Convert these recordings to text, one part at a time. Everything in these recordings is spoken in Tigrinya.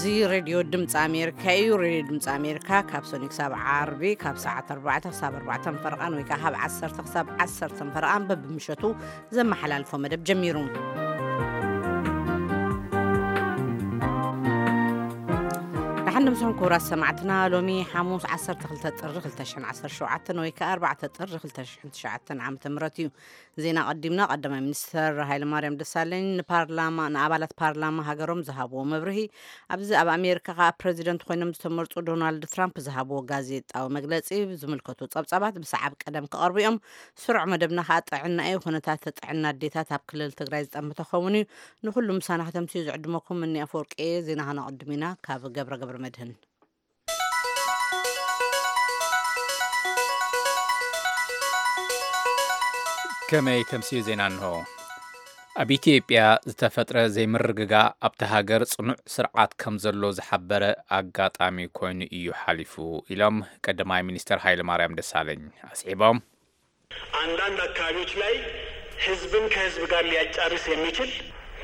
እዚ ሬድዮ ድምፂ ኣሜሪካ እዩ። ሬድዮ ድምፂ ኣሜሪካ ካብ ሰኑይ ክሳብ ዓርቢ ካብ ሰዓት ኣርባዕተ ክሳብ ኣርባዕተ ፈረቓን ወይ ከዓ ካብ ዓሰርተ ክሳብ ዓሰርተ ፈረቓን በብምሸቱ ዘመሓላልፎ መደብ ጀሚሩ። ደሓን ንምስኹም ክቡራት ሰማዕትና፣ ሎሚ ሓሙስ ዓሰርተ ክልተ ጥሪ ክልተ ሽሕን ዓሰርተ ሸውዓተን ወይ ከዓ ኣርባዕተ ጥሪ ክልተ ሽሕን ትሽዓተን ዓመተ ምህረት እዩ። ዜና ቀዲምና። ቀዳማይ ሚኒስተር ሃይለማርያም ደሳለኝ ንፓርላማ፣ ንኣባላት ፓርላማ ሃገሮም ዝሃብዎ መብርሂ፣ ኣብዚ ኣብ ኣሜሪካ ከዓ ፕረዚደንት ኮይኖም ዝተመርጹ ዶናልድ ትራምፕ ዝሃብዎ ጋዜጣዊ መግለጺ ዝምልከቱ ጸብጻባት ብሰዓብ ቀደም ክቐርቡ እዮም። ስሩዕ መደብና ከዓ ጥዕና እዩ። ኩነታት ጥዕና ኣዴታት ኣብ ክልል ትግራይ ዝጠምተ ክኸውን እዩ። ንኹሉ ምሳና ከተምስዩ ዝዕድመኩም እኒ ኣፈወርቂ እየ። ዜና ከነቐድም ኢና። ካብ ገብረ ገብረ መድህን። ከመይ ተምስዩ ዜና እንሆ። ኣብ ኢትዮጵያ ዝተፈጥረ ዘይምርግጋእ ኣብቲ ሃገር ጽኑዕ ስርዓት ከም ዘሎ ዝሓበረ ኣጋጣሚ ኮይኑ እዩ ሓሊፉ ኢሎም ቀዳማይ ሚኒስተር ሃይለማርያም ደሳለኝ ኣስዒቦም። አንዳንድ አካባቢዎች ላይ ህዝብን ከህዝብ ጋር ሊያጫርስ የሚችል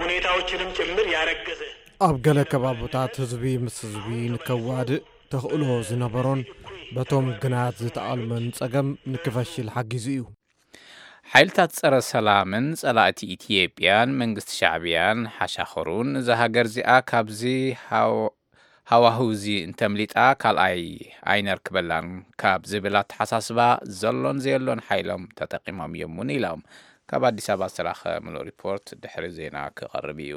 ሁኔታዎችንም ጭምር ያረገዘ ኣብ ገለ ከባብታት ህዝቢ ምስ ህዝቢ ንከዋድእ ተኽእሎ ዝነበሮን በቶም ግናት ዝተኣልመን ጸገም ንክፈሽል ሓጊዙ እዩ። ሓይልታት ጸረ ሰላምን ጸላእቲ ኢትዮጵያን መንግስቲ ሻዕብያን ሓሻኸሩን እዛ ሃገር እዚኣ ካብዚ ሃው-፣ ሃዋህው እዚ እንተምሊጣ ካልኣይ ኣይነርክበላን ካብ ዝብል ኣተሓሳስባ ዘሎን ዘየሎን ሓይሎም ተጠቂሞም እዮም እውን ኢሎም። ካብ ኣዲስ ኣበባ ዝተላኸ ምሉእ ሪፖርት ድሕሪ ዜና ክቐርብ እዩ።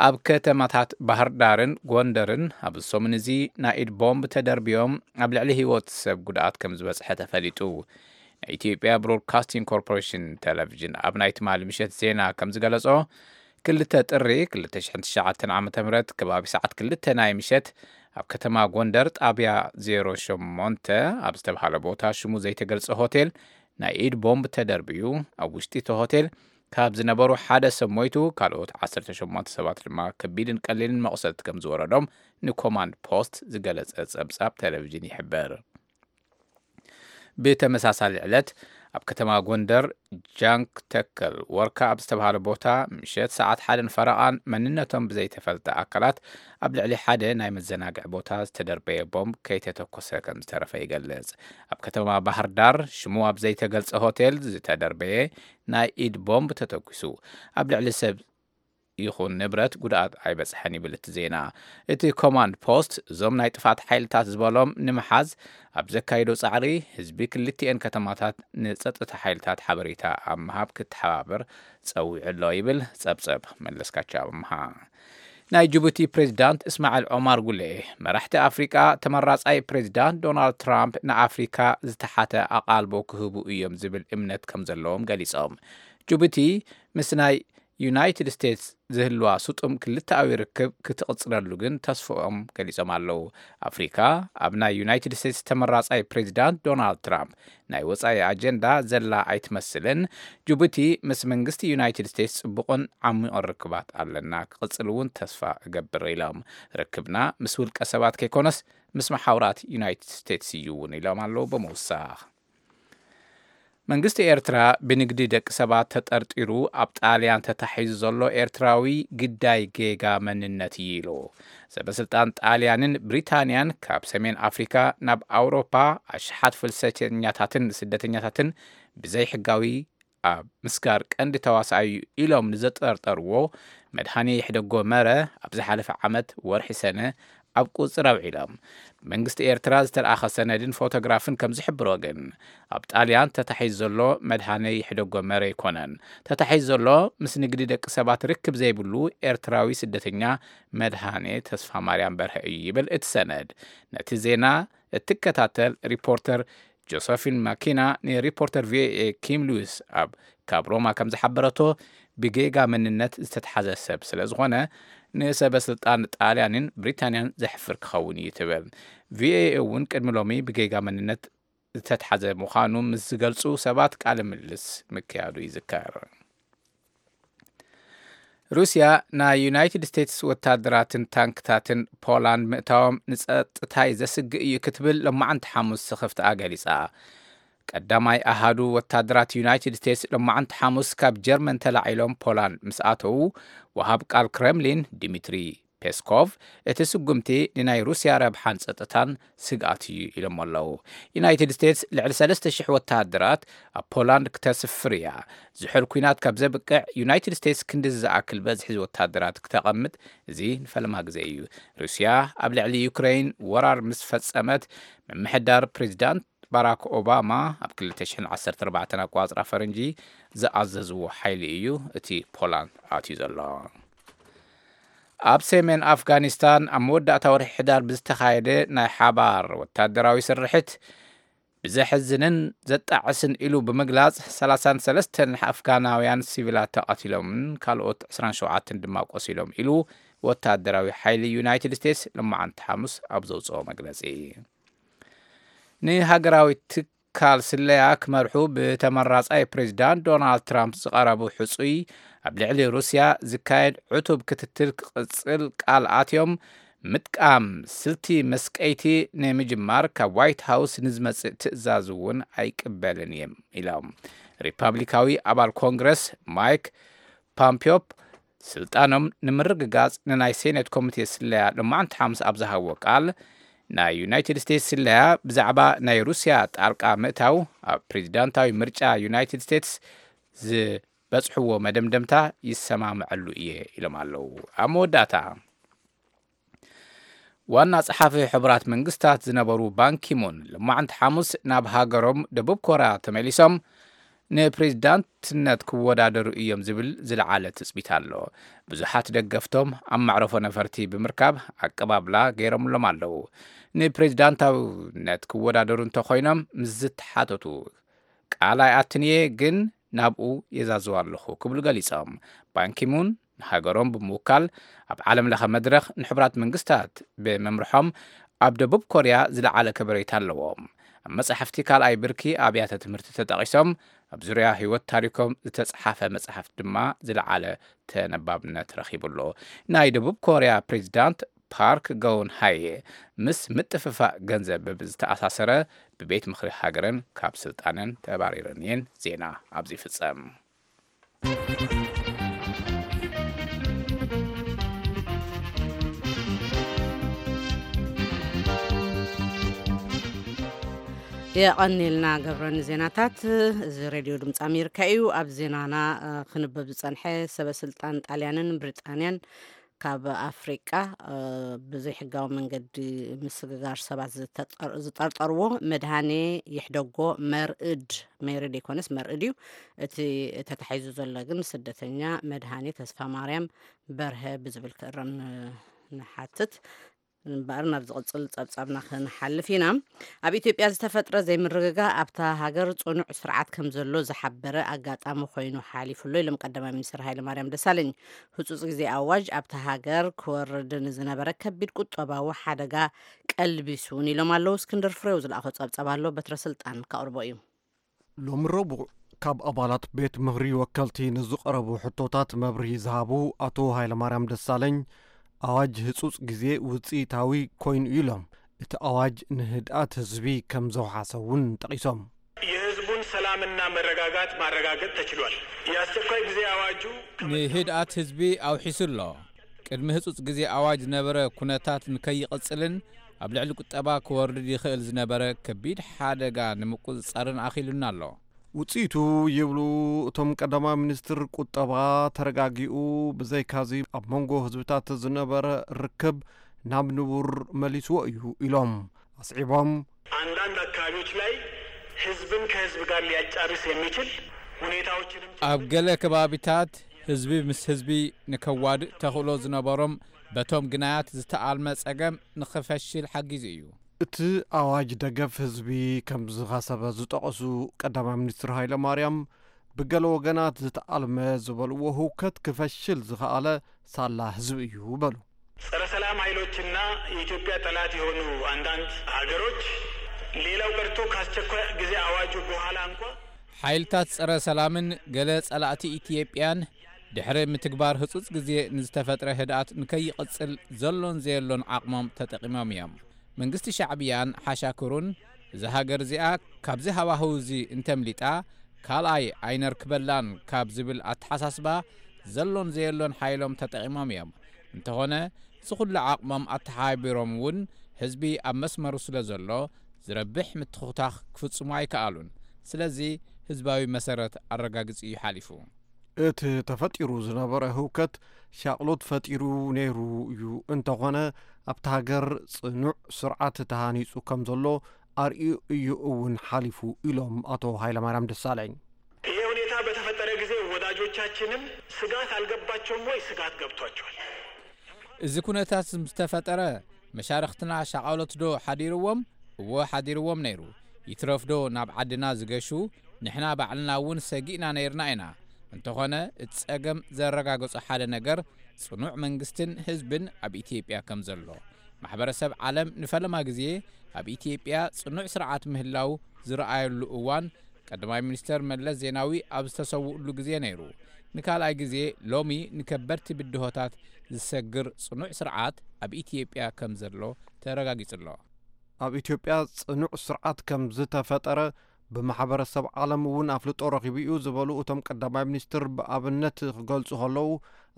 ኣብ ከተማታት ባህር ዳርን ጎንደርን ኣብዚ ሰሙን እዚ ናይ ኢድ ቦምብ ተደርብዮም ኣብ ልዕሊ ህይወት ሰብ ጉድኣት ከም ዝበጽሐ ተፈሊጡ። ናይ ኢትዮጵያ ብሮድካስቲንግ ኮርፖሬሽን ቴሌቪዥን ኣብ ናይ ትማሊ ምሸት ዜና ከም ዝገለጾ፣ ክልተ ጥሪ ክልተ ሽሕን ትሽዓተን ዓመተ ምህረት ከባቢ ሰዓት ክልተ ናይ ምሸት ኣብ ከተማ ጎንደር ጣብያ ዜሮ ሸሞንተ ኣብ ዝተባሃለ ቦታ ሽሙ ዘይተገልጸ ሆቴል ናይ ኢድ ቦምብ ተደርብዩ። ኣብ ውሽጢ እቲ ሆቴል ካብ ዝነበሩ ሓደ ሰብ ሞይቱ፣ ካልኦት ዓሰርተ ሸሞንተ ሰባት ድማ ከቢድን ቀሊልን መቑሰልቲ ከም ዝወረዶም ንኮማንድ ፖስት ዝገለጸ ጸብጻብ ቴሌቪዥን ይሕብር። ብተመሳሳሊ ዕለት ኣብ ከተማ ጎንደር ጃንክ ተከል ወርካ ኣብ ዝተባሃለ ቦታ ምሸት ሰዓት ሓደን ፈረቓን መንነቶም ብዘይተፈልጠ ኣካላት ኣብ ልዕሊ ሓደ ናይ መዘናግዒ ቦታ ዝተደርበየ ቦምብ ከይተተኮሰ ከም ዝተረፈ ይገልጽ። ኣብ ከተማ ባህር ዳር ሽሙ ኣብ ዘይተገልጸ ሆቴል ዝተደርበየ ናይ ኢድ ቦምብ ተተኩሱ ኣብ ልዕሊ ሰብ ይኹን ንብረት ጉድኣት ኣይበጽሐን ይብል እቲ ዜና። እቲ ኮማንድ ፖስት እዞም ናይ ጥፋት ሓይልታት ዝበሎም ንምሓዝ ኣብ ዘካይዶ ጻዕሪ ህዝቢ ክልቲኤን ከተማታት ንጸጥታ ሓይልታት ሓበሬታ ኣብ ምሃብ ክተሓባበር ጸዊዑ ኣሎ ይብል ጸብጸብ መለስካቸው ኣምሃ። ናይ ጅቡቲ ፕሬዚዳንት እስማዕል ዖማር ጉሌ መራሕቲ ኣፍሪቃ ተመራጻይ ፕሬዚዳንት ዶናልድ ትራምፕ ንኣፍሪካ ዝተሓተ ኣቓልቦ ክህቡ እዮም ዝብል እምነት ከም ዘለዎም ገሊጾም። ጅቡቲ ምስ ናይ ዩናይትድ ስቴትስ ዝህልዋ ስጡም ክልተኣዊ ርክብ ክትቕጽለሉ ግን ተስፍኦም ገሊጾም ኣለዉ። ኣፍሪካ ኣብ ናይ ዩናይትድ ስቴትስ ተመራጻይ ፕሬዚዳንት ዶናልድ ትራምፕ ናይ ወጻኢ ኣጀንዳ ዘላ ኣይትመስልን። ጅቡቲ ምስ መንግስቲ ዩናይትድ ስቴትስ ጽቡቕን ዓሚቕን ርክባት ኣለና፣ ክቕጽል እውን ተስፋ እገብር ኢሎም። ርክብና ምስ ውልቀ ሰባት ከይኮነስ ምስ መሓውራት ዩናይትድ ስቴትስ እዩ እውን ኢሎም ኣለዉ ብምውሳኽ። መንግስቲ ኤርትራ ብንግዲ ደቂ ሰባት ተጠርጢሩ ኣብ ጣልያን ተታሒዙ ዘሎ ኤርትራዊ ግዳይ ጌጋ መንነት እዩ ኢሉ። ሰበስልጣን ጣልያንን ብሪታንያን ካብ ሰሜን ኣፍሪካ ናብ ኣውሮፓ ኣሽሓት ፍልሰተኛታትን ስደተኛታትን ብዘይሕጋዊ ኣብ ምስጋር ቀንዲ ተዋሳኣይ እዩ ኢሎም ንዘጠርጠርዎ መድሃኔ ይሕደጎ መረ ኣብ ዝሓለፈ ዓመት ወርሒ ሰነ ኣብ ቁጽር ኣውዒሎም። መንግስቲ ኤርትራ ዝተለኣኸ ሰነድን ፎቶግራፍን ከም ዝሕብሮ ግን፣ ኣብ ጣልያን ተታሒዙ ዘሎ መድሃኔ ይሕደጎ መረ ኣይኮነን። ተታሒዙ ዘሎ ምስ ንግዲ ደቂ ሰባት ርክብ ዘይብሉ ኤርትራዊ ስደተኛ መድሃኔ ተስፋ ማርያም በርሀ እዩ ይብል እቲ ሰነድ። ነቲ ዜና እትከታተል ሪፖርተር ጆሰፊን ማኪና ንሪፖርተር ቪኦኤ ኪም ሉዊስ ኣብ ካብ ሮማ ከም ዝሓበረቶ፣ ብጌጋ መንነት ዝተትሓዘ ሰብ ስለ ዝኾነ ንሰበ ስልጣን ጣልያንን ብሪታንያን ዘሕፍር ክኸውን እዩ ትብል። ቪኦኤ እውን ቅድሚ ሎሚ ብጌጋ መንነት ዝተትሓዘ ምዃኑ ምስ ዝገልጹ ሰባት ቃለ ምልልስ ምክያዱ ይዝከር። ሩስያ ናይ ዩናይትድ ስቴትስ ወታደራትን ታንክታትን ፖላንድ ምእታዎም ንጸጥታይ ዘስግእ እዩ ክትብል ሎማዓንቲ ሓሙስ ስኽፍትኣ ገሊጻ። ቀዳማይ ኣሃዱ ወታደራት ዩናይትድ ስቴትስ ሎማዓንቲ ሓሙስ ካብ ጀርመን ተላዒሎም ፖላንድ ምስ ኣተዉ፣ ወሃብ ቃል ክረምሊን ዲሚትሪ ፔስኮቭ፣ እቲ ስጉምቲ ንናይ ሩስያ ረብሓን ጸጥታን ስግኣት እዩ ኢሎም ኣለዉ። ዩናይትድ ስቴትስ ልዕሊ ሰለስተ ሽሕ ወተሃደራት ኣብ ፖላንድ ክተስፍር እያ። ዝሑል ኲናት ካብ ዘብቅዕ፣ ዩናይትድ ስቴትስ ክንዲ ዝኣክል በዝሒ ወተሃደራት ክተቐምጥ፣ እዚ ንፈለማ ግዜ እዩ። ሩስያ ኣብ ልዕሊ ዩክሬን ወራር ምስ ፈጸመት፣ ምምሕዳር ፕሬዚዳንት ባራክ ኦባማ ኣብ ክልተ ሽሕን ዓሰርተ ኣርባዕተን ኣቋጽራ ፈረንጂ ዝኣዘዝዎ ሓይሊ እዩ እቲ ፖላንድ ኣትዩ ዘሎ። ኣብ ሰሜን ኣፍጋኒስታን ኣብ መወዳእታ ወርሒ ሕዳር ብዝተኻየደ ናይ ሓባር ወታደራዊ ስርሒት፣ ብዘሕዝንን ዘጣዕስን ኢሉ ብምግላጽ፣ ሰላሳን ሰለስተን ኣፍጋናውያን ሲቪላት ተቐቲሎምን ካልኦት ዕስራን ሸውዓተን ድማ ቆሲሎም ኢሉ ወታደራዊ ሓይሊ ዩናይትድ ስቴትስ ሎማዓንቲ ሓሙስ ኣብ ዘውጽኦ መግለጺ። ንሃገራዊ ትካል ስለያ ክመርሑ ብተመራጻይ ፕሬዚዳንት ዶናልድ ትራምፕ ዝቐረቡ ሕጹይ፣ ኣብ ልዕሊ ሩስያ ዝካየድ ዕቱብ ክትትል ክቕጽል ቃል ኣትዮም፣ ምጥቃም ስልቲ መስቀይቲ ንምጅማር ካብ ዋይት ሃውስ ንዝመጽእ ትእዛዝ እውን ኣይቅበልን እዮም ኢሎም። ሪፓብሊካዊ ኣባል ኮንግረስ ማይክ ፓምፒዮፕ፣ ስልጣኖም ንምርግጋጽ ንናይ ሴኔት ኮሚቴ ስለያ ሎማዓንቲ ሓሙስ ኣብ ዝሃብዎ ቃል፣ ናይ ዩናይትድ ስቴትስ ስለያ ብዛዕባ ናይ ሩስያ ጣልቃ ምእታው ኣብ ፕሬዚዳንታዊ ምርጫ ዩናይትድ ስቴትስ ዝበጽሕዎ መደምደምታ ይሰማምዐሉ እየ ኢሎም ኣለዉ። ኣብ መወዳእታ፣ ዋና ጸሓፊ ሕቡራት መንግስታት ዝነበሩ ባንኪሙን ሎማዓንቲ ሓሙስ ናብ ሃገሮም ደቡብ ኮርያ ተመሊሶም ንፕሬዚዳንትነት ክወዳደሩ እዮም ዝብል ዝለዓለ ትጽቢት ኣሎ። ብዙሓት ደገፍቶም ኣብ መዕረፎ ነፈርቲ ብምርካብ ኣቀባብላ ገይሮምሎም ኣለዉ። ንፕሬዚዳንታውነት ክወዳደሩ እንተኾይኖም ምስ ዝተሓተቱ፣ ቃል ኣይኣትን እየ፣ ግን ናብኡ የዛዝው ኣለኹ ክብሉ ገሊጾም። ባንኪሙን ንሃገሮም ብምውካል ኣብ ዓለም ለኸ መድረኽ ንሕቡራት መንግስታት ብምምርሖም ኣብ ደቡብ ኮርያ ዝለዓለ ከበሬታ ኣለዎም። ኣብ መጻሕፍቲ ካልኣይ ብርኪ ኣብያተ ትምህርቲ ተጠቒሶም ኣብ ዙርያ ህይወት ታሪኮም ዝተጽሓፈ መጽሓፍ ድማ ዝለዓለ ተነባብነት ረኺቡ ኣሎ። ናይ ደቡብ ኮርያ ፕሬዚዳንት ፓርክ ገውን ሃየ ምስ ምጥፍፋእ ገንዘብ ብዝተኣሳሰረ ብቤት ምኽሪ ሃገረን ካብ ስልጣነን ተባሪረን እየን። ዜና ኣብዚ ይፍጸም። የቐኒልና ገብረ ንዜናታት። እዚ ሬድዮ ድምፂ ኣሜሪካ እዩ። ኣብ ዜናና እ፣ ክንበብ ዝፀንሐ፣ ሰበ ስልጣን ጣልያንን ብሪጣንያን ካብ ኣፍሪቃ እ፣ ብዘይሕጋዊ መንገዲ ምስግጋር ሰባት ዝተጠር- ዝጠርጠርዎ መድሃኔ ይሕደጎ መርእድ፣ መይርድ ይኮነስ መርእድ እዩ። እቲ ተታሒዙ ዘሎ ግን ስደተኛ መድሃኔ ተስፋ ማርያም በርሀ ብዝብል ክእረም ን- ንሓትት። እምበኣር ናብ ዝቕጽል ጸብጻብና ክንሓልፍ ኢና። ኣብ ኢትዮጵያ ዝተፈጥረ ዘይምርግጋእ ኣብታ ሃገር ጽኑዕ ስርዓት ከም ዘሎ ዝሓበረ ኣጋጣሚ ኮይኑ ሓሊፉ ኣሎ ኢሎም ቀዳማይ ሚኒስትር ሃይለማርያም ደሳለኝ። ህጹጽ ግዜ ኣዋጅ ኣብታ ሃገር ክወርድ ንዝነበረ ከቢድ ቁጠባዊ ሓደጋ ቀልቢሱ እውን ኢሎም ኣለዉ። እስክንድር ፍሬው ዝለኣኾ ጸብጻብ ኣሎ፣ በትረ ስልጣን ከቕርቦ እዩ። ሎሚ ረቡዕ ካብ ኣባላት ቤት ምኽሪ ወከልቲ ንዝቐረቡ ሕቶታት መብርሂ ዝሃቡ ኣቶ ሃይለማርያም ደሳለኝ፣ ኣዋጅ ህጹጽ ግዜ ውጽኢታዊ ኮይኑ እዩ ኢሎም። እቲ ኣዋጅ ንህድኣት ህዝቢ ከም ዘውሓሰ እውን ጠቒሶም። የህዝቡን ሰላምና መረጋጋት ማረጋገጥ ተችሏል። የአስቸኳይ ጊዜ አዋጁ ንህድኣት ህዝቢ ኣውሒሱ ኣሎ። ቅድሚ ህጹጽ ግዜ ኣዋጅ ዝነበረ ኩነታት ንከይቕጽልን ኣብ ልዕሊ ቁጠባ ክወርድ ይኽእል ዝነበረ ከቢድ ሓደጋ ንምቁጽጻርን ኣኽኢሉና ኣሎ። ውጽኢቱ ይብሉ እቶም ቀዳማይ ሚኒስትር፣ ቁጠባ ተረጋጊኡ፣ ብዘይካዚ ኣብ መንጎ ህዝብታት ዝነበረ ርክብ ናብ ንቡር መሊስዎ እዩ ኢሎም። ኣስዒቦም፣ አንዳንድ አካባቢዎች ላይ ህዝብን ከህዝብ ጋር ሊያጫርስ የሚችል ሁኔታዎችንም ኣብ ገለ ከባቢታት ህዝቢ ምስ ህዝቢ ንከዋድእ ተኽእሎ ዝነበሮም በቶም ግናያት ዝተኣልመ ጸገም ንኽፈሽል ሓጊዙ እዩ። እቲ ኣዋጅ ደገፍ ህዝቢ ከም ዝኸሰበ ዝጠቐሱ ቀዳማይ ሚኒስትር ሃይለ ማርያም፣ ብገለ ወገናት ዝተኣልመ ዝበልዎ ህውከት ክፈሽል ዝኸኣለ ሳላ ህዝቢ እዩ በሉ። ጸረ ሰላም ኃይሎችና የኢትዮጵያ ጠላት የሆኑ አንዳንድ ሀገሮች ሌላው ቀርቶ ከአስቸኳይ ጊዜ አዋጁ በኋላ እንኳ ሓይልታት ጸረ ሰላምን ገለ ጸላእቲ ኢትዮጵያን ድሕሪ ምትግባር ህጹጽ ግዜ ንዝተፈጥረ ህድኣት ንከይቕጽል ዘሎን ዘየሎን ዓቕሞም ተጠቒሞም እዮም። መንግስቲ ሻዕብያን ሓሻክሩን እዛ ሃገር እዚኣ ካብዚ ሃዋህው እዚ እንተምሊጣ ካልኣይ ኣይነርክበላን ካብ ዝብል ኣተሓሳስባ ዘሎን ዘየሎን ሓይሎም ተጠቒሞም እዮም። እንተኾነ እዚ ኩሉ ዓቕሞም ኣተሓባቢሮም እውን ህዝቢ ኣብ መስመሩ ስለ ዘሎ ዝረብሕ ምትኹታኽ ክፍጽሙ ኣይከኣሉን። ስለዚ ህዝባዊ መሰረት ኣረጋግጺ እዩ ሓሊፉ። እቲ ተፈጢሩ ዝነበረ ህውከት ሻቕሎት ፈጢሩ ነይሩ እዩ። እንተኾነ ኣብቲ ሃገር ጽኑዕ ስርዓት ተሃኒጹ ከም ዘሎ ኣርእዩ እዩ እውን ሓሊፉ ኢሎም ኣቶ ሃይለማርያም ደሳለኝ። ይሄ ሁኔታ በተፈጠረ ጊዜ ወዳጆቻችንም ስጋት አልገባቸውም ወይ? ስጋት ገብቷቸዋል። እዚ ኩነታት ምስ ተፈጠረ መሻርኽትና ሻቓሎት ዶ ሓዲርዎም? እወ ሓዲርዎም ነይሩ። ይትረፍ ዶ ናብ ዓድና ዝገሹ? ንሕና ባዕልና እውን ሰጊእና ነይርና ኢና። እንተኾነ እቲ ጸገም ዘረጋገጾ ሓደ ነገር ጽኑዕ መንግስትን ህዝብን ኣብ ኢትዮጵያ ከም ዘሎ። ማሕበረሰብ ዓለም ንፈለማ ግዜ ኣብ ኢትዮጵያ ጽኑዕ ስርዓት ምህላው ዝረኣየሉ እዋን ቀዳማይ ሚኒስተር መለስ ዜናዊ ኣብ ዝተሰውእሉ ግዜ ነይሩ። ንካልኣይ ግዜ ሎሚ ንከበድቲ ብድሆታት ዝሰግር ጽኑዕ ስርዓት ኣብ ኢትዮጵያ ከም ዘሎ ተረጋጊጹ ኣሎ። ኣብ ኢትዮጵያ ጽኑዕ ስርዓት ከም ዝተፈጠረ ብማሕበረሰብ ዓለም እውን ኣፍልጦ ረኺቡ እዩ ዝበሉ እቶም ቀዳማይ ሚኒስትር ብኣብነት ክገልጹ ከለዉ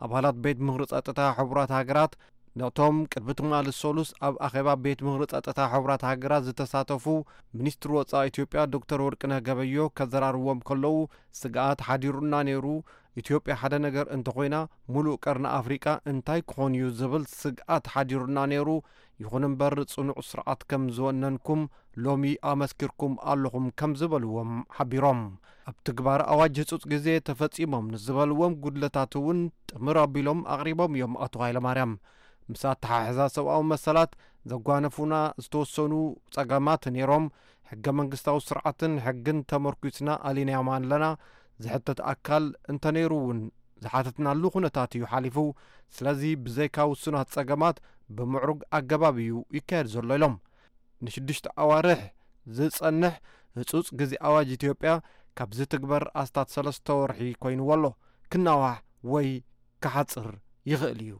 ኣባላት ቤት ምኽሪ ጸጥታ ሕቡራት ሃገራት ነቶም ቅድሚ ትማሊ ሰሉስ ኣብ ኣኼባ ቤት ምኽሪ ጸጥታ ሕቡራት ሃገራት ዝተሳተፉ ሚኒስትር ወጻኢ ኢትዮጵያ ዶክተር ወርቅነህ ገበዮ ከዘራርዎም ከለዉ ስግኣት ሓዲሩና ነይሩ። ኢትዮጵያ ሓደ ነገር እንተኾይና ሙሉእ ቀርኒ ኣፍሪቃ እንታይ ክኾን እዩ ዝብል ስግኣት ሓዲሩና ነይሩ። ይኹን እምበር ጽኑዕ ስርዓት ከም ዝወነንኩም ሎሚ ኣመስኪርኩም ኣለኹም ከም ዝበልዎም ሓቢሮም። ኣብ ትግባር ኣዋጅ ህጹጽ ግዜ ተፈጺሞም ንዝበልዎም ጉድለታት እውን ጥምር ኣቢሎም ኣቕሪቦም እዮም ኣቶ ሃይለማርያም። ምስ ኣተሓሕዛ ሰብኣዊ መሰላት ዘጓነፉና ዝተወሰኑ ጸገማት ነይሮም። ሕገ መንግስታዊ ስርዓትን ሕግን ተመርኲስና ኣሊናዮም ኣለና። ዝሕተት ኣካል እንተነይሩ እውን ዝሓተትናሉ ኩነታት እዩ ሓሊፉ። ስለዚ ብዘይካ ውሱናት ጸገማት ብምዕሩግ ኣገባብ እዩ ይካየድ ዘሎ ኢሎም። ንሽዱሽተ ኣዋርሕ ዝጸንሕ ህጹጽ ግዜ ኣዋጅ ኢትዮጵያ ካብ ዝትግበር ኣስታት ሰለስተ ወርሒ ኮይንዎ ኣሎ። ክናዋሕ ወይ ክሓጽር ይኽእል እዩ።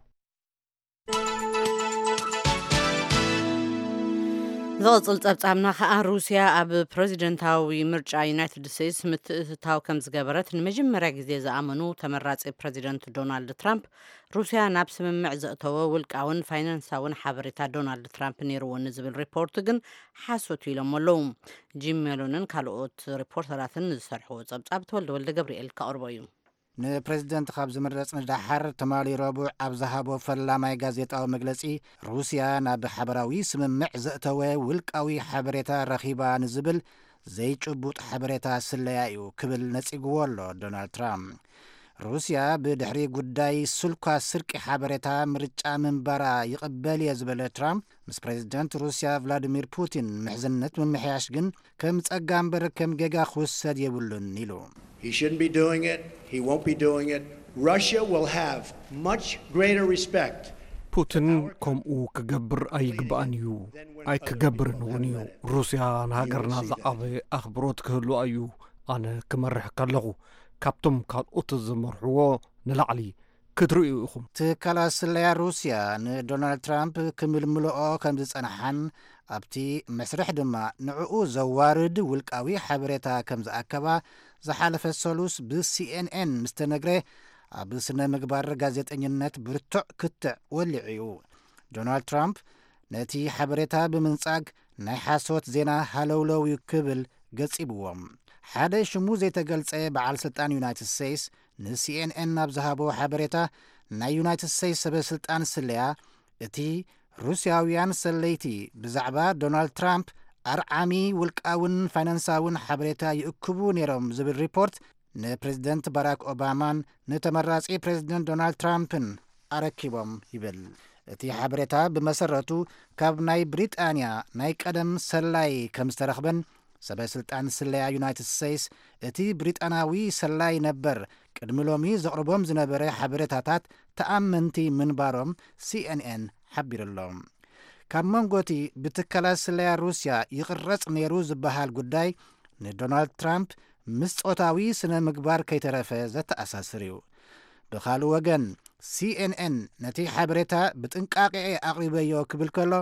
ዝቕጽል ጸብጻብና ከኣ ሩስያ ኣብ ፕረዚደንታዊ ምርጫ ዩናይትድ ስቴትስ ምትእትታው ከም ዝገበረት ንመጀመርያ ግዜ ዝኣመኑ ተመራጺ ፕረዚደንት ዶናልድ ትራምፕ ሩስያ ናብ ስምምዕ ዘእተወ ውልቃውን ፋይናንሳውን ሓበሬታ ዶናልድ ትራምፕ ነይርዎ ንዝብል ሪፖርት ግን ሓሶት ኢሎም ኣለዉ። ጂም ሜሎንን ካልኦት ሪፖርተራትን ዝሰርሕዎ ጸብጻብ ተወልደ ወልደ ገብርኤል ከቕርቦ እዩ። ንፕሬዝደንት ካብ ዝምረጽ ንደሓር ትማሊ ረቡዕ ኣብ ዝሃቦ ፈላማይ ጋዜጣዊ መግለጺ፣ ሩስያ ናብ ሓበራዊ ስምምዕ ዘእተወ ውልቃዊ ሓበሬታ ረኺባ ንዝብል ዘይጭቡጥ ሓበሬታ ስለያ እዩ ክብል ነጺግዎ ኣሎ ዶናልድ ትራምፕ። ሩስያ ብድሕሪ ጉዳይ ስልኳ ስርቂ ሓበሬታ ምርጫ ምንባራ ይቕበል እየ ዝበለ ትራምፕ፣ ምስ ፕሬዝደንት ሩስያ ቭላዲሚር ፑቲን ምሕዝነት ምምሕያሽ ግን ከም ጸጋ እምበር ከም ጌጋ ክውሰድ የብሉን ኢሉ። He shouldn't be doing it. He won't be doing it. Russia will have much greater respect. ፑቲን ከምኡ ክገብር ኣይግባእን እዩ፣ ኣይክገብርን እውን እዩ። ሩስያ ንሃገርና ዝዓበየ ኣኽብሮት ክህልዋ እዩ። ኣነ ክመርሕ ከለኹ ካብቶም ካልኦት ዝመርሕዎ ንላዕሊ ክትርእዩ ኢኹም። ትካላት ስለያ ሩስያ ንዶናልድ ትራምፕ ክምልምልኦ ከም ዝጸንሓን ኣብቲ መስርሕ ድማ ንዕኡ ዘዋርድ ውልቃዊ ሓበሬታ ከም ዝኣከባ ዝሓለፈ ሰሉስ ብሲኤንኤን ምስ ተነግረ፣ ኣብ ስነ ምግባር ጋዜጠኝነት ብርቱዕ ክትዕ ወሊዑ እዩ። ዶናልድ ትራምፕ ነቲ ሓበሬታ ብምንጻግ ናይ ሓሶት ዜና ሃለውለው እዩ ክብል ገጺብዎም። ሓደ ሽሙ ዘይተገልጸ በዓል ስልጣን ዩናይትድ ስቴትስ ንሲኤንኤን ኣብ ዝሃቦ ሓበሬታ፣ ናይ ዩናይትድ ስቴትስ ሰበ ስልጣን ስለያ እቲ ሩስያውያን ሰለይቲ ብዛዕባ ዶናልድ ትራምፕ ኣርዓሚ ውልቃውን ፋይናንሳውን ሓበሬታ ይእክቡ ነይሮም ዝብል ሪፖርት ንፕሬዝደንት ባራክ ኦባማን ንተመራጺ ፕሬዝደንት ዶናልድ ትራምፕን ኣረኪቦም ይብል። እቲ ሓበሬታ ብመሰረቱ ካብ ናይ ብሪጣንያ ናይ ቀደም ሰላይ ከም ዝተረኽበን ሰበ ስልጣን ስለያ ዩናይትድ ስቴትስ እቲ ብሪጣናዊ ሰላይ ነበር ቅድሚ ሎሚ ዘቕርቦም ዝነበረ ሓበሬታታት ተኣመንቲ ምንባሮም ሲኤንኤን ሓቢሩ ኣሎ። ካብ መንጎ እቲ ብትካላት ስለያ ሩስያ ይቕረጽ ነይሩ ዝበሃል ጉዳይ ንዶናልድ ትራምፕ ምስ ጾታዊ ስነ ምግባር ከይተረፈ ዘተኣሳስር እዩ። ብኻልእ ወገን ሲኤንኤን ነቲ ሓበሬታ ብጥንቃቄ ኣቕሪበዮ ክብል ከሎ፣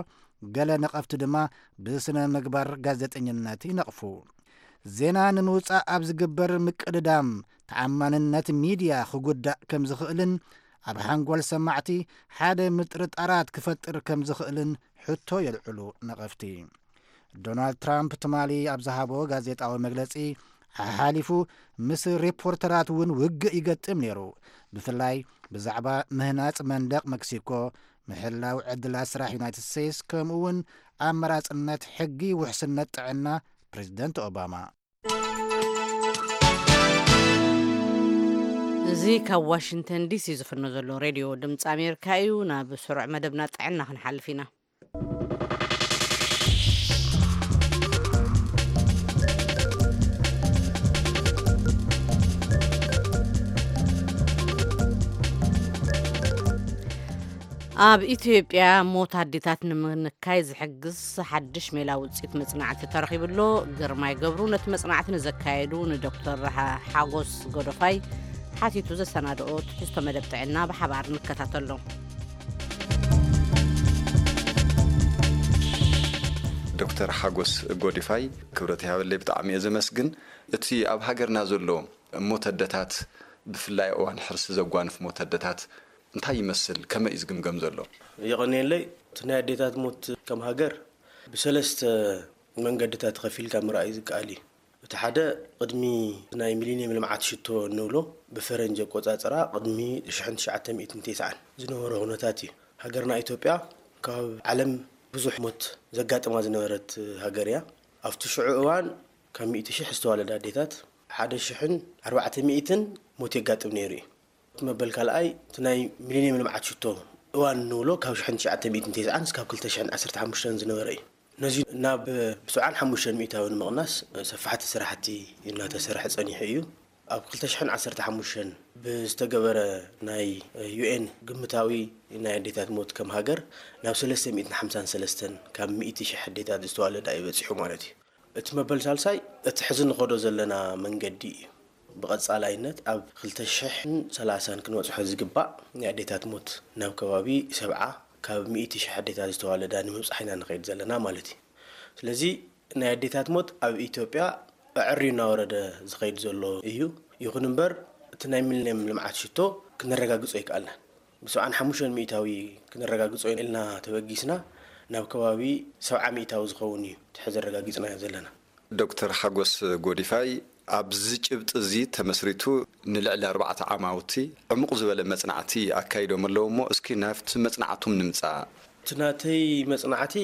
ገለ ነቐፍቲ ድማ ብስነ ምግባር ጋዜጠኝነት ይነቕፉ። ዜና ንምውጻእ ኣብ ዝግበር ምቅድዳም ተኣማንነት ሚድያ ክጉዳእ ከም ዝኽእልን ኣብ ሓንጎል ሰማዕቲ ሓደ ምጥርጣራት ክፈጥር ከም ዝኽእልን ሕቶ የልዕሉ ነቐፍቲ። ዶናልድ ትራምፕ ትማሊ ኣብ ዝሃቦ ጋዜጣዊ መግለጺ፣ ሓሓሊፉ ምስ ሪፖርተራት እውን ውግእ ይገጥም ነይሩ። ብፍላይ ብዛዕባ ምህናጽ መንደቕ መክሲኮ፣ ምሕላው ዕድላት ስራሕ ዩናይትድ ስቴትስ፣ ከምኡ እውን ኣመራጽነት ሕጊ ውሕስነት ጥዕና ፕሬዚደንት ኦባማ። እዚ ካብ ዋሽንግተን ዲሲ ዝፍኖ ዘሎ ሬድዮ ድምፂ ኣሜሪካ እዩ። ናብ ስሩዕ መደብና ጥዕና ክንሓልፍ ኢና። ኣብ ኢትዮጵያ ሞት ኣዴታት ንምንካይ ዝሕግዝ ሓድሽ ሜላ ውፅኢት መፅናዕቲ ተረኺቡ ኣሎ። ግርማይ ገብሩ ነቲ መፅናዕቲ ንዘካየዱ ንዶክተር ሓ-፣ ሓጎስ ጎደፋይ ሓቲቱ ዘሰናድኦ ትሕዝቶ መደብ ጥዕና ብሓባር ንከታተሎ። ዶክተር ሓጎስ ጎዲፋይ፣ ክብረት ይሃበለይ፣ ብጣዕሚ እየ ዘመስግን። እቲ ኣብ ሃገርና ዘሎ ሞት ኣደታት፣ ብፍላይ እዋን ሕርሲ ዘጓንፍ ሞት ኣደታት እንታይ ይመስል? ከመይ እዩ ዝግምገም ዘሎ? የቐንየለይ። እቲ ናይ ኣዴታት ሞት ከም ሃገር ብሰለስተ መንገድታት ከፊልካ ምርኣይ ዝከኣል እዩ። እቲ ሓደ፣ ቅድሚ ናይ ሚሊኒየም ልምዓት ሽቶ እንብሎ፣ ብፈረንጂ ኣቆጻጽራ ቅድሚ ሽሕን ትሽዓተ ሚእትን ተስዓን ዝነበረ ኩነታት እዩ። ሃገርና ኢትዮጵያ ካብ ዓለም ብዙሕ ሞት ዘጋጥማ ዝነበረት ሃገር እያ። ኣብቲ ሽዑ እዋን ካብ ሚእቲ ሽሕ ዝተዋለዳ ኣዴታት ሓደ ሽሕን ኣርባዕተ ሚእትን ሞት የጋጥም ነይሩ እዩ። እቲ መበል ካልኣይ፣ እቲ ናይ ሚሊኒየም ልምዓት ሽቶ እዋን እንብሎ ካብ ሽሕን ትሽዓተ ሚእትን ተስዓን እስካብ ክልተ ሽሕን ዓሰርተ ሓሙሽተን ዝነበረ እዩ። ነዚ ናብ ሰብዓን ሓሙሽተን ሚእታዊ ንምቕናስ ሰፋሕቲ ስራሕቲ እናተሰርሐ ጸኒሑ እዩ። ኣብ ክልተ ሽሕን ዓሰርተ ሓሙሽተን ብዝተገበረ ናይ ዩ ኤን ግምታዊ ናይ ኣዴታት ሞት ከም ሃገር ናብ ሰለስተ ሚእትን ሓምሳን ሰለስተን ካብ ሚእቲ ሽሕ ኣዴታት ዝተዋለዳ እዩ በጺሑ ማለት እዩ። እቲ መበል ሳልሳይ፣ እቲ ሕዚ ንኸዶ ዘለና መንገዲ እዩ። ብቐጻላይነት ኣብ ክልተ ሽሕን ሰላሳን ክንበጽሖ ዝግባእ ናይ ኣዴታት ሞት ናብ ከባቢ ሰብዓ ካብ ሚእቲ ሽሕ ኣዴታት ዝተዋለዳ ንምብጻሕ ኢና ንኸይድ ዘለና ማለት እዩ። ስለዚ ናይ ኣዴታት ሞት ኣብ ኢትዮጵያ ኣዕርዩ እናወረደ ዝኸይድ ዘሎ እዩ። ይኹን እምበር እቲ ናይ ሚሊኒየም ልምዓት ሽቶ ክነረጋግጾ ኣይከኣልናን። ብሰብዓን ሓሙሽተን ሚእታዊ ክነረጋግጾ ኢልና ተበጊስና ናብ ከባቢ ሰብዓ ሚእታዊ ዝኸውን እዩ እቲ ሕዚ ኣረጋጊጽናዮ ዘለና። ዶክተር ሓጎስ ጎዲፋይ፣ ኣብዚ ጭብጢ እዚ ተመስሪቱ ንልዕሊ ኣርባዕተ ዓማውቲ ዕሙቕ ዝበለ መጽናዕቲ ኣካይዶም ኣለዉ እሞ፣ እስኪ ናብቲ መጽናዕቶም ንምጻእ። እቲ ናተይ መጽናዕቲ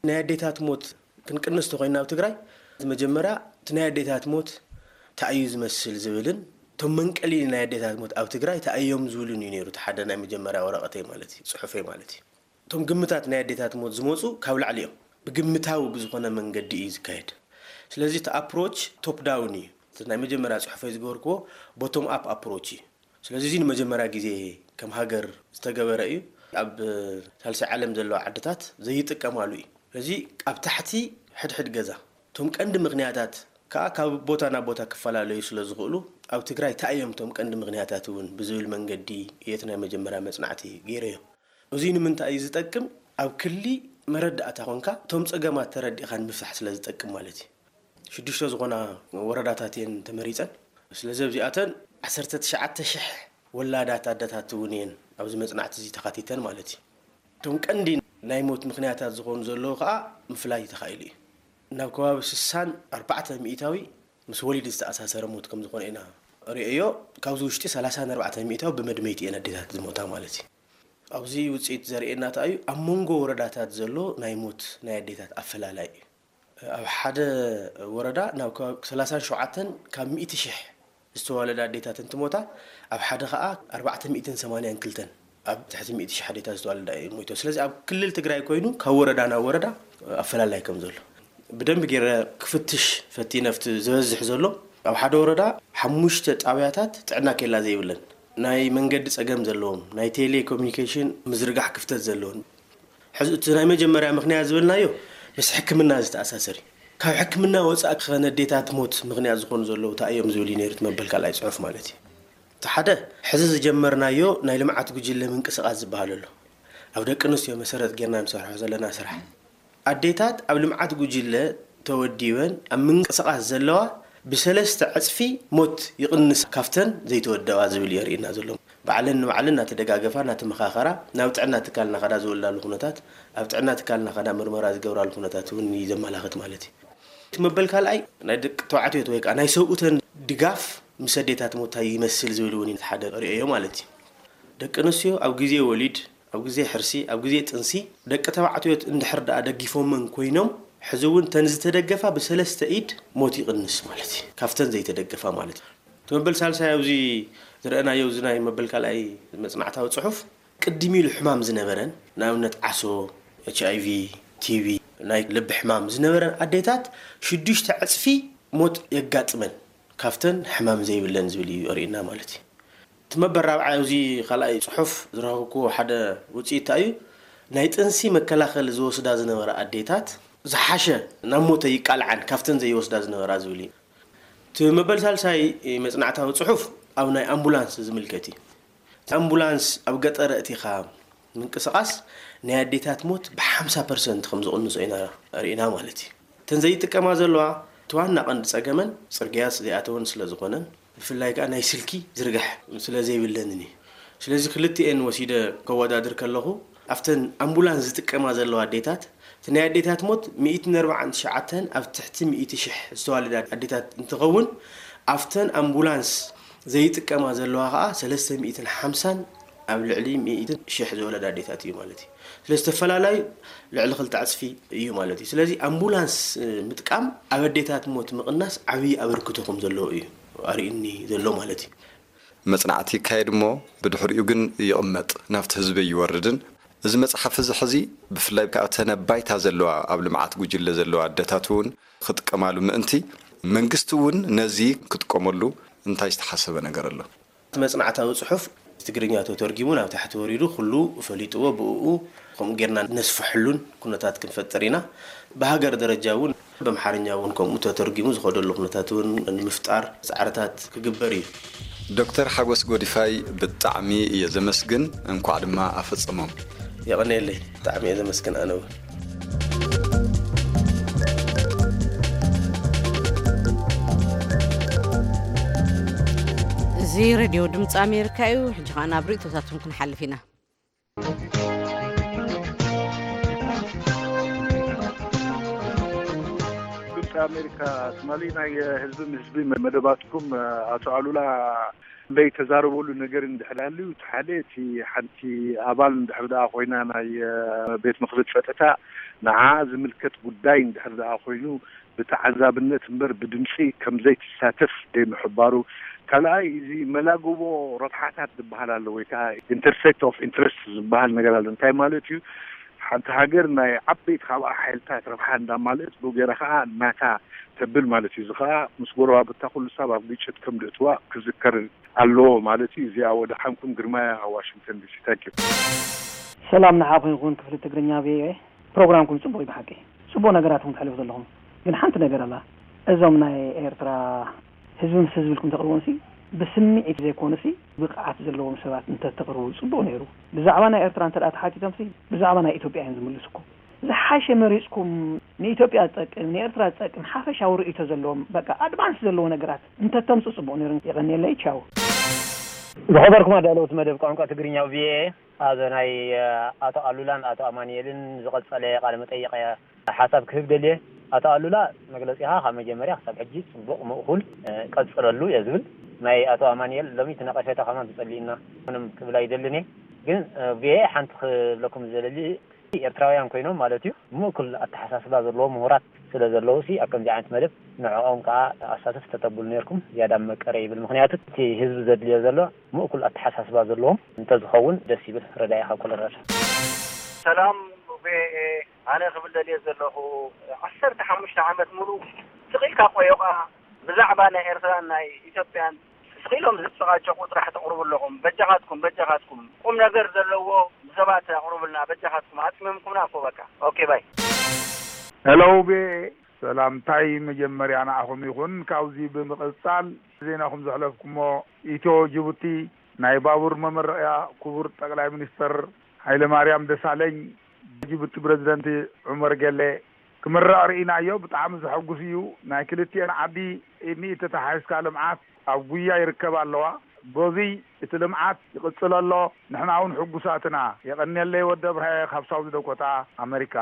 ናይ ኣዴታት ሞት ክንቅንስ ተኾይና ኣብ ትግራይ፣ መጀመርያ እቲ ናይ ኣዴታት ሞት እንታይ እዩ ዝመስል ዝብልን እቶም መንቀሊ ናይ ኣዴታት ሞት ኣብ ትግራይ እንታይ እዮም ዝብሉን እዩ ነይሩ። እቲ ሓደ ናይ መጀመርያ ወረቐተይ ማለት እዩ፣ ጽሑፈይ ማለት እዩ። እቶም ግምታት ናይ ኣዴታት ሞት ዝመፁ ካብ ላዕሊ እዮም። ብግምታዊ ብዝኾነ መንገዲ እዩ ዝካየድ። ስለዚ እቲ ኣፕሮች ቶፕ ዳውን እዩ። እቲ ናይ መጀመርያ ጽሑፈይ ዝገበርክዎ ቦቶም ኣፕ ኣፕሮች እዩ። ስለዚ እዚ ንመጀመርያ ግዜ ከም ሃገር ዝተገበረ እዩ። ኣብ ሳልሳይ ዓለም ዘለዋ ዓድታት ዘይጥቀማሉ እዩ። ስለዚ ኣብ ታሕቲ ሕድሕድ ገዛ እቶም ቀንዲ ምኽንያታት ከዓ ካብ ቦታ ናብ ቦታ ክፈላለዩ ስለ ዝኽእሉ ኣብ ትግራይ እንታይ እዮም እቶም ቀንዲ ምኽንያታት እውን ብዝብል መንገዲ እየ እቲ ናይ መጀመርያ መጽናዕቲ ገይረዮ። እዚ ንምንታይ እዩ ዝጠቅም? ኣብ ክሊ መረዳእታ ኮንካ እቶም ጸገማት ተረዲእካ ንምፍታሕ ስለ ዝጠቅም ማለት እዩ። ሽዱሽተ ዝኾና ወረዳታት እየን ተመሪጸን። ስለዚ ኣብዚኣተን ዓሰርተ ትሽዓተ ሽሕ ወላዳት ኣደታት እውን እየን ኣብዚ መጽናዕቲ እዚ ተኻቲተን ማለት እዩ። እቶም ቀንዲ ናይ ሞት ምኽንያታት ዝኾኑ ዘለዉ ከዓ ምፍላይ ተኻኢሉ እዩ። ናብ ከባቢ ስሳን ኣርባዕተ ሚእታዊ ምስ ወሊድ ዝተኣሳሰረ ሞት ከም ዝኾነ ኢና ርእዮ። ካብዚ ውሽጢ ሰላሳን ኣርባዕተ ሚእታዊ ብመድመይቲ እየን ኣዴታት ዝሞታ ማለት እዩ። ኣብዚ ውፅኢት ዘርእየና እንታይ እዩ? ኣብ መንጎ ወረዳታት ዘሎ ናይ ሞት ናይ ኣዴታት ኣፈላላይ እዩ። ኣብ ሓደ ወረዳ ናብ ከባቢ ሰላሳን ሸውዓተን ካብ ሚእቲ ሽሕ ዝተዋለዳ ኣዴታት እንትሞታ፣ ኣብ ሓደ ከዓ ኣርባዕተ ሚእትን ሰማንያን ክልተን ኣብ ትሕቲ ሚእቲ ሽሕ ኣዴታት ዝተዋለዳ እየን ሞይተን። ስለዚ ኣብ ክልል ትግራይ ኮይኑ ካብ ወረዳ ናብ ወረዳ ኣፈላላይ ከም ዘሎ ብደንቢ ገይረ ክፍትሽ ፈቲነ። ኣብቲ ዝበዝሕ ዘሎ ኣብ ሓደ ወረዳ ሓሙሽተ ጣብያታት ጥዕና ኬላ ዘይብለን፣ ናይ መንገዲ ጸገም ዘለዎም፣ ናይ ቴሌኮሙኒኬሽን ምዝርጋሕ ክፍተት ዘለዎም። ሕዚ እቲ ናይ መጀመርያ ምኽንያት ዝበልናዮ ምስ ሕክምና ዝተኣሳሰር እዩ። ካብ ሕክምና ወጻኢ ከ ነዴታት ሞት ምኽንያት ዝኾኑ ዘለዉ እንታይ እዮም ዝብል እዩ ነይሩ እቲ መበል ካልኣይ ጽሑፍ ማለት እዩ። እቲ ሓደ፣ ሕዚ ዝጀመርናዮ ናይ ልምዓት ጉጅለ ምንቅስቓስ ዝበሃል ኣሎ። ኣብ ደቂ ኣንስትዮ መሰረት ጌርና ንሰርሖ ዘለና ስራሕ። ኣዴታት ኣብ ልምዓት ጉጅለ ተወዲበን ኣብ ምንቅስቓስ ዘለዋ ብሰለስተ ዕጽፊ ሞት ይቕንስ ካብተን ዘይተወደባ ዝብል የርእየና ዘሎ። ባዕለን ንባዕለን እናተደጋገፋ እናተመኻኸራ ናብ ጥዕና ትካል እናኸዳ ዝወልዳሉ ኩነታት፣ ኣብ ጥዕና ትካል እናኸዳ ምርመራ ዝገብራሉ ኩነታት እውን እዩ ዘመላኽት ማለት እዩ። እቲ መበል ካልኣይ ናይ ደቂ ተባዕትዮ ወይ ከዓ ናይ ሰብኡተን ድጋፍ ምስ ኣዴታት ሞት እንታይ ይመስል ዝብል እውን ሓደ ርእዮ ማለት እዩ። ደቂ ኣንስትዮ ኣብ ግዜ ወሊድ፣ ኣብ ግዜ ሕርሲ፣ ኣብ ግዜ ጥንሲ ደቂ ተባዕትዮ እንድሕር ደኣ ደጊፎመን ኮይኖም፣ ሕዚ እውን ተን ዝተደገፋ ብሰለስተ ኢድ ሞት ይቕንስ ማለት እዩ። ካብተን ዘይተደገፋ ማለት እዩ። እቲ መበል ሳልሳይ ኣብዚ ዝረአናዮ፣ እዚ ናይ መበል ካልኣይ መጽናዕታዊ ጽሑፍ፣ ቅድም ኢሉ ሕማም ዝነበረን፣ ንኣብነት ዓሶ፣ ኤች ኣይ ቪ፣ ቲ ቢ፣ ናይ ልቢ ሕማም ዝነበረን ኣዴታት ሽዱሽተ ዕጽፊ ሞት የጋጥመን ካብተን ሕማም ዘይብለን ዝብል እዩ ኣርእየና ማለት እዩ። እቲ መበል ራብዓይ ኣብዚ ካልኣይ ጽሑፍ ዝረኸብክዎ ሓደ ውጽኢት እንታይ እዩ? ናይ ጥንሲ መከላኸሊ ዝወስዳ ዝነበራ ኣዴታት ዝሓሸ ናብ ሞተ ይቃልዓን ካብተን ዘይወስዳ ዝነበራ ዝብል እዩ። እቲ መበል ሳልሳይ መጽናዕታዊ ጽሑፍ ኣብ ናይ ኣምቡላንስ ዝምልከት እዩ። እቲ ኣምቡላንስ ኣብ ገጠር ኣእቲኻ ምንቅስቓስ ናይ ኣዴታት ሞት ብ50% ከም ዝቕንሶ ኢና ርኢና ማለት እዩ። እተን ዘይጥቀማ ዘለዋ እቲ ዋና ቀንዲ ጸገመን ጽርግያ ዘይኣተወን ስለ ዝኾነን፣ ብፍላይ ከኣ ናይ ስልኪ ዝርጋሕ ስለ ዘይብለንን እዩ። ስለዚ ክልቲኤን ወሲደ ከወዳድር ከለኹ፣ ኣብተን ኣምቡላንስ ዝጥቀማ ዘለዋ ኣዴታት፣ እቲ ናይ ኣዴታት ሞት ሚእትን ኣርባዓን ትሽዓተን ኣብ ትሕቲ ሚእቲ ሽሕ ዝተዋለዳ ኣዴታት እንትኸውን፣ ኣብተን ኣምቡላንስ ዘይጥቀማ ዘለዋ ከኣ ሰለስተ ሚእትን ሓምሳን ኣብ ልዕሊ ሚእትን ሽሕ ዝወለዳ ኣዴታት እዩ ማለት እዩ። ስለዚ ተፈላላዩ ልዕሊ ክልተ ዕጽፊ እዩ ማለት እዩ። ስለዚ ኣምቡላንስ፣ እ፣ ምጥቃም ኣብ ኣዴታት ሞት ምቕናስ ዓብዪ ኣበርክቶ ከም ዘለዎ እዩ ኣርእዩኒ ዘሎ ማለት እዩ። መጽናዕቲ ይካየድ እሞ ብድሕሪኡ ግን ይቕመጥ፣ ናብቲ ህዝቢ ይወርድን። እዚ መጽሓፍ እዚ ሕዚ ብፍላይ ከኣ እተን ኣብ ባይታ ዘለዋ ኣብ ልምዓት ጉጅለ ዘለዋ ኣደታት እውን ክጥቀማሉ ምእንቲ መንግስቲ እውን ነዚ ክጥቀመሉ እንታይ ዝተሓሰበ ነገር ኣሎ? እቲ መጽናዕታዊ ጽሑፍ ትግርኛ ተተርጊሙ ናብ ታሕቲ ወሪዱ ኩሉ ፈሊጥዎ ብእኡ ከምኡ ጌርና ነስፍሐሉን ኩነታት ክንፈጥር ኢና። ብሃገር ደረጃ እውን ብኣምሓርኛ እውን ከምኡ ተተርጊሙ ዝኸደሉ ኩነታት እውን ንምፍጣር ጻዕርታት ክግበር እዩ። ዶክተር ሓጎስ ጎዲፋይ ብጣዕሚ እየ ዘመስግን፣ እንኳዕ ድማ ኣፈጸሞም። የቐንየለይ፣ ብጣዕሚ እየ ዘመስግን ኣነ እውን። እዚ ሬድዮ ድምፂ ኣሜሪካ እዩ። ሕጂ ኸዓ ናብ ርእይቶታትኩም ክንሓልፍ ኢና። ድምፂ ኣሜሪካ ትማሊ ናይ ህዝቢ ምስ ህዝቢ መደባትኩም ኣቶ ኣሉላ ለይተዛረበሉ ነገር እንድሕር ሃልዩ፣ እቲ ሓደ እቲ ሓንቲ ኣባል እንድሕር ደኣ ኮይና ናይ ቤት ምኽሪ ጸጥታ ንዓ ዝምልከት ጉዳይ እንድሕር ደኣ ኮይኑ ብተዓዛብነት እምበር ብድምፂ ከም ዘይትሳተፍ ደይ ምሕባሩ፣ ካልኣይ እዚ መላግቦ ረብሓታት ዝበሃል ኣሎ ወይ ከዓ intersect of interest ዝበሃል ነገር ኣሎ። እንታይ ማለት እዩ? ሓንቲ ሃገር ናይ ዓበይቲ ካብኣ ሓይልታት ረብሓ እንዳማልእት ብኡ ገይራ ከዓ ናታ ተብል ማለት እዩ። እዚ ከዓ ምስ ጎረባብታ ኩሉ ሳብ ኣብ ግጭት ከም ድእትዋ ክዝከር ኣለዎ ማለት እዩ። እዚኣ ወደሓንኩም ግርማይ ኣብ ዋሽንግተን ዲሲ። ታንኪዩ። ሰላም ንዓኹም ይኹን ክፍሊ ትግርኛ ቪኦኤ። ፕሮግራምኩም ጽቡቕ እዩ ብሓቂ። ጽቡቕ ነገራት እውን ተሕልፉ ዘለኹም። ግን ሓንቲ ነገር ኣላ። እዞም ናይ ኤርትራ ህዝቢ ምስ ህዝቢ ኢልኩም ተቕርቦምሲ ብስምዒት ዘይኮኑሲ ብቕዓት ዘለዎም ሰባት እንተተቕርቡ ጽቡቕ ነይሩ። ብዛዕባ ናይ ኤርትራ እንተ ደኣ ተሓቲቶምሲ ብዛዕባ ናይ ኢትዮጵያ እዮም ዝምልስኩም። ዝሓሸ መሪጽኩም ንኢትዮጵያ ዝጠቅም ንኤርትራ ዝጠቅም ሓፈሻዊ ርእይቶ ዘለዎም በቃ ኣድቫንስ ዘለዎ ነገራት እንተተምጹ ጽቡቕ ነይሩ። የቐንየለይ። ቻው። ዝኸበርኩም ኣዳለውቲ መደብ ቋንቋ ትግርኛ ቪኦኤ፣ ኣብ ናይ ኣቶ ኣሉላን ኣቶ ኣማኑኤልን ዝቐጸለ ቃለ መጠይቕ ሓሳብ ክህብ ደልየ። ኣቶ ኣሉላ፣ መግለጺኻ ካብ መጀመርያ ክሳብ ሕጂ ጽቡቕ፣ ምእኩል፣ ቀጽለሉ እየ ዝብል። ናይ ኣቶ ኣማኑኤል ሎሚ እቲ ነቐፌታ ከማን ተጸሊእና ምንም ክብል ኣይደልን እየ። ግን ቪኦኤ ሓንቲ ክብለኩም ዝደሊ፣ ኤርትራውያን ኮይኖም ማለት እዩ፣ ምእኩል ኣተሓሳስባ ዘለዎም ምሁራት ስለ ዘለዉ ሲ ኣብ ከምዚ ዓይነት መደብ ንዕኦም ከኣ ኣሳተፍ ተተብሉ ነርኩም ዝያዳ መቀረ ይብል። ምኽንያቱ እቲ ህዝቢ ዘድልዮ ዘሎ ምእኩል ኣተሓሳስባ ዘለዎም እንተዝኸውን ደስ ይብል። ረዳኢ ካብ ኮሎራዶ። ሰላም ቪኦኤ፣ ኣነ ክብል ደልየ ዘለኹ ዓሰርተ ሓሙሽተ ዓመት ሙሉ ስቕ ኢልካ ቆዮቓ ብዛዕባ ናይ ኤርትራን ናይ ኢትዮጵያን ስቕ ኢሎም ዝጨቓጨቑ ጥራሕ ተቕርቡ ኣለኹም። በጃኻትኩም፣ በጃኻትኩም ቁም ነገር ዘለዎ ንሰባት ኣቕርቡልና በጃኻትኩም። ኣጽሚምኩምና እኮ በቃ። ኦኬ ባይ። ሄሎ ቪኦኤ፣ ሰላምታይ መጀመርያ ንዓኹም ይኹን። ካብዚ ብምቕጻል ዜናኹም ዘሕለፍኩሞ ኢትዮ ጅቡቲ ናይ ባቡር መመረቕያ ክቡር ጠቕላይ ሚኒስተር ሃይለማርያም ደሳለኝ፣ ጅቡቲ ፕረዚደንት ዑመር ገሌ፣ ክምረቕ ርኢናዮ። ብጣዕሚ ዘሐጉስ እዩ። ናይ ክልቲኤን ዓዲ ኢድ ንኢድ ተተሓሒዝካ ልምዓት ኣብ ጉያ ይርከባ ኣለዋ። በዙይ እቲ ልምዓት ይቕፅል ኣሎ። ንሕና እውን ሕጉሳት ኢና። የቐንየለይ ወዲ ኣብርሃየ ካብ ሳውዝ ዳኮታ ኣመሪካ።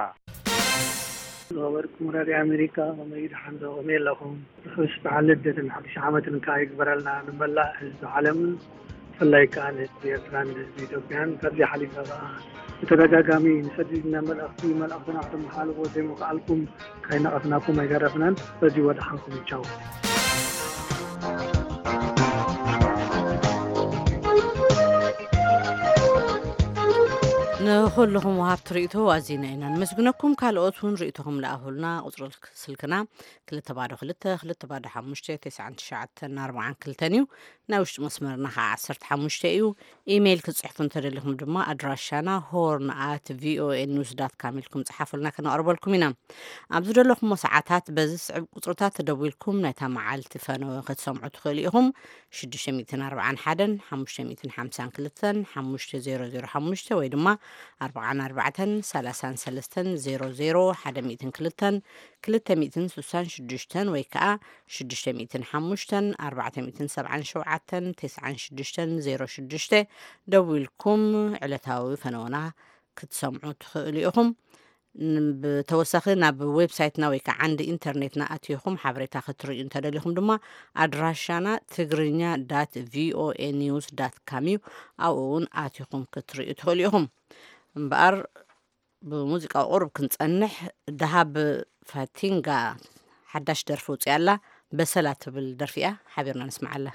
ዝኸበርኩም ራድዮ ኣሜሪካ፣ ከመይ ደሓን ዶ? ከመይ ኣለኹም? ርሑስ በዓል ልደትን ሓድሽ ዓመትን ከኣ ይግበረልና ንመላእ ህዝቢ ዓለምን፣ ብፍላይ ከኣ ንህዝቢ ኤርትራን ንህዝቢ ኢትዮጵያን። ካብዚ ሓሊፈ ከኣ ብተደጋጋሚ ንሰዲድና መልእኽቲ፣ መልእኽትና ከተመሓላልፉ ዘይምኽኣልኩም ከይነቐፍናኩም ኣይተረፍናን። በዚ ወደሓንኩም ቻው። ንኹልኹም ወሃብቲ ርእይቶ ኣዚና ኢና ነመስግነኩም። ካልኦት እውን ርእይቶኹም ለኣኹልና። ቁጽሪ ስልክና ክልተ ባዶ ክልተ፣ ክልተ ባዶ ሓሙሽተ፣ ተስዓን ትሽዓተን ኣርባዓን ክልተን እዩ። ናይ ውሽጢ መስመርና ኸዓ ዓሰርተ ሓሙሽተ እዩ። ኢሜይል ክትጽሕፉ እንተደሊኹም ድማ ኣድራሻና ሆርን ኣት ቪኦኤ ኒውስ ዳት ካም ኢልኩም ጽሓፉልና፣ ከነቕርበልኩም ኢና። ኣብ ዝደለኹሞ ሰዓታት በዚ ዝስዕብ ቁጽርታት ተደዊልኩም ናይታ መዓልቲ ፈነወ ክትሰምዑ ትኽእሉ ኢኹም። ሽዱሽተ ሚእትን ኣርባዓን ሓደን፣ ሓሙሽተ ሚእትን ሓምሳን ክልተን፣ ሓሙሽተ ዜሮ ዜሮ ሓሙሽተ ወይ ድማ ኣርባዓን ኣርባዕተን፣ ሰላሳን ሰለስተን፣ ዜሮ ዜሮ፣ ሓደ ሚእትን ክልተን፣ ክልተ ሚእትን ስሳን ሽዱሽተን ወይ ከኣ ሽዱሽተ ሚእትን ሓሙሽተን፣ ኣርባዕተ ሚእትን ሰብዓን ሸውዓተን፣ ተስዓን ሽዱሽተን፣ ዜሮ ሽዱሽተ ደዊልኩም ዕለታዊ ፈነወና ክትሰምዑ ትኽእሉ ኢኹም። ን-፣ ብተወሳኺ ናብ ዌብሳይትና ወይ ከዓ ዓንዲ ኢንተርኔትና ኣቲኹም ሓበሬታ ክትርእዩ እንተደሊኹም ድማ ኣድራሻና ትግርኛ ዳት ቪኦኤ ኒውስ ዳት ካም እዩ። ኣብኡ እውን ኣቲኹም ክትርእዩ ትኽእሉ ኢኹም። እምበኣር ብሙዚቃ ቁሩብ ክንጸንሕ፣ ደሃብ ፋቲንጋ ሓዳሽ ደርፊ ውፅያ ኣላ። በሰላ ትብል ደርፊ እያ። ሓቢርና ንስምዓላ።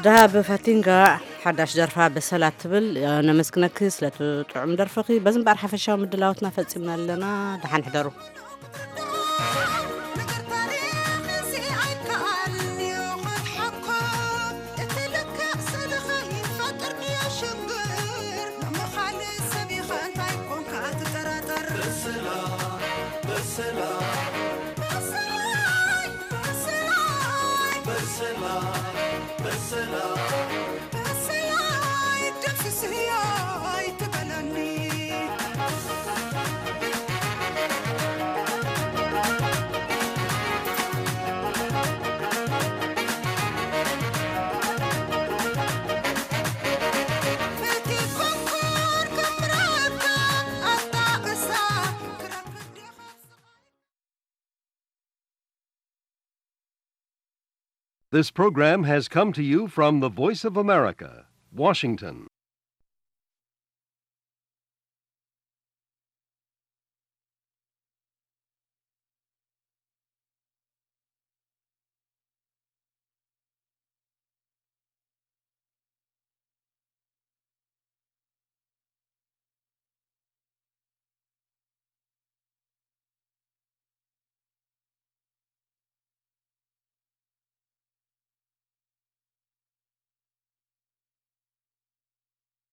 ደሃብ ፋቲንጋ ሓዳሽ ደርፋ በሰላ ትብል። ነመስግነኪ ስለቲ ጥዑም ደርፍኺ። በዚ እምበኣር ሓፈሻዊ ምድላዋትና ፈጺምና ኣለና። ደሓን ሕደሩ። This program has come to you from the Voice of America, Washington.